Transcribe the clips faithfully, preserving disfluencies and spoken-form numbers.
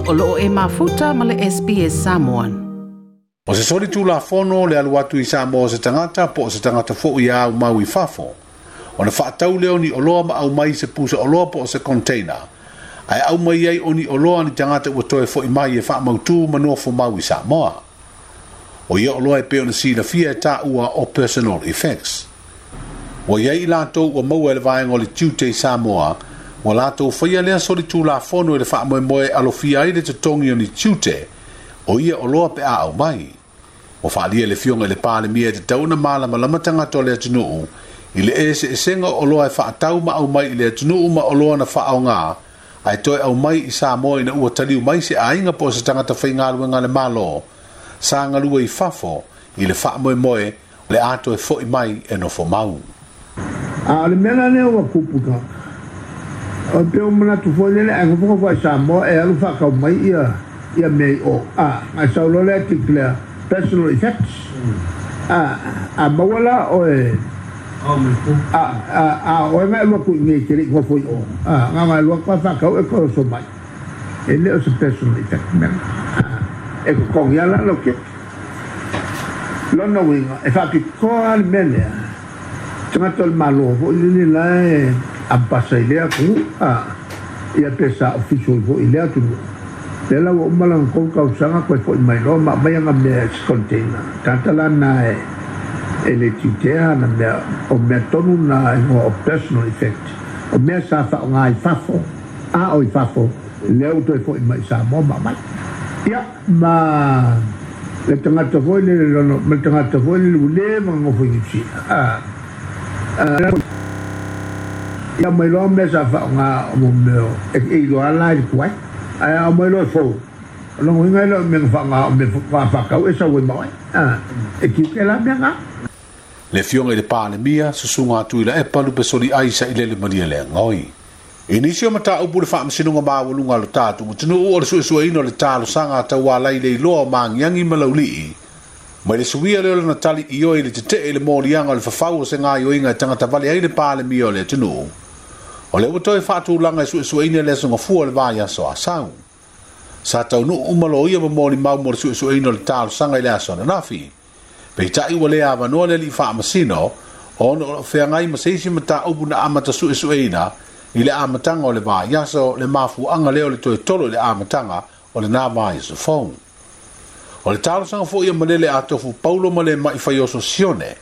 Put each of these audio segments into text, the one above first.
O loo e mafuta ma le S B S Samoan. O se soli tulafono le alu atu i Samoa se tagata po o se tagata fo'i a au mau i fafo. Ona fa'atau lea o ni oloa ma aumai se pusa oloa po o se container. Ae aumai ai o ni oloa ni tagata ua toe fo'i mai e fa'amautū ma nofo mau i Samoa. O ia oloa e pei ona silafia e tāua o personal effects. Ua iai i latou ua maua e le vaega o le tiute i Samoa, ua latou faia lea solitulafono i le fa'amoemoe alofia ai le totogi o ni tiute, o ia oloa pe a aumai. Ua fa'alia le Afioga i le Palemia e tatau ona malamalama tagata o le atunuu i le eseesega o oloa e fa'atau ma aumai i le atunuu ma oloa na fa'aaogā, ae toe aumai i Samoa ina ua taliu mai se aiga po o se tagata faigaluega a le Malo, sa galue i fafo i le fa'amoemoe o le a toe fo'i mai e nofo mau. A o le mea la lea ua tupu tagata, o pe o manatu foi lele ai ngofongo foi Samoa e alu whakau mai ia ia mea i o. A, ngai saulo lea declare personal effects. A, a maua la o e a, a, a o e ngai lua kui ngei te rei ngofo i o. A, ngā ngai lua kwa whakau e koe so mai. E le o se personal effect mea. A, e kokongi ala lo ke. Lona uiga, e whapikoa le mea lea. Tagata o le malo foi lele la e ampasa i lea atunuu, a, ia pe sa official foi i lea atunuu. Lea la ua uma lana tolu tausaga koe fo'i mai loa ma aumai aga mea e se container. Tagata la na e e le tiutea na mea o mea tonu na igoa o personal effect. O mea sa fa'aogā i fafo, a o i fafo, lea ua toe fo'i mai i Samoa ma aumai. Ia, ma le tagata foi lele lono, ma le tagata foi lele ua lē magagofo i Niu Sila. A, ia mai loa mea sa fa'aogā o mo mea e e iloa la i le tuai. Ae a mai loa e fou. O lona uiga e le o mea na fa'aogā o mea fa'afakau e sau ai ma oe. A, e tiute la mea gā. Le Afioga i le Palemia, susuga a Tuilaepa Lupesoli ai Sailele Malia Leagai. I nisi o mataupu le fa'amasinoga maualuga a lo tatou atunuu o le su'esu'eina o le talosaga a taualai le iloa o Magiagi ma Laulii, mai le suia lea o lana tali ioe i le tete'e i le moliaga o le fafau o se gaoioiga e tagata vale ai le Palemia o le atunuu. O lea ua toe fa'atulaga e su'esu'eina le aso gafua o le vaiaso asau. Sa taunuu uma loia ma molimau mo le su'esu'eina o le talosaga i le aso ananafi. Peitai ua le avanoa le alii fa'amasino, ona o lo'o feagai ma se isi mataupu na amata su'esu'eina i le amataga o le vaiaso, le mafua'aga lea o le toe tolo i le amataga o lenā vaiaso fou. O le talosaga fo'i a Malele Atofu Paulo ma le ma'i faioso Sione,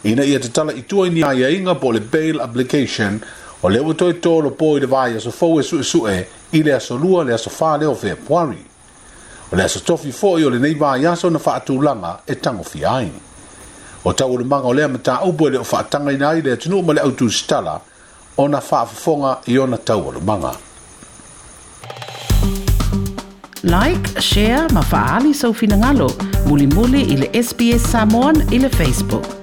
ina ia tatala i tua i ni aiaiga po o le bail application, o lea ua toe tolopo i le vaiaso fou e su'esu'e i le aso lua le aso fā lea o Fepuari. O le aso tofi fo'i o lenei vaiaso na fa'atulaga e tagofia ai. O taualumaga o lea mataupu e le o fa'atagaina ai le atunuu ma le autusitala ona fa'afofoga i ona taualumaga. Like, share ma fa'aali sau finagalo, mulimuli i le S B S Samoan i le Facebook.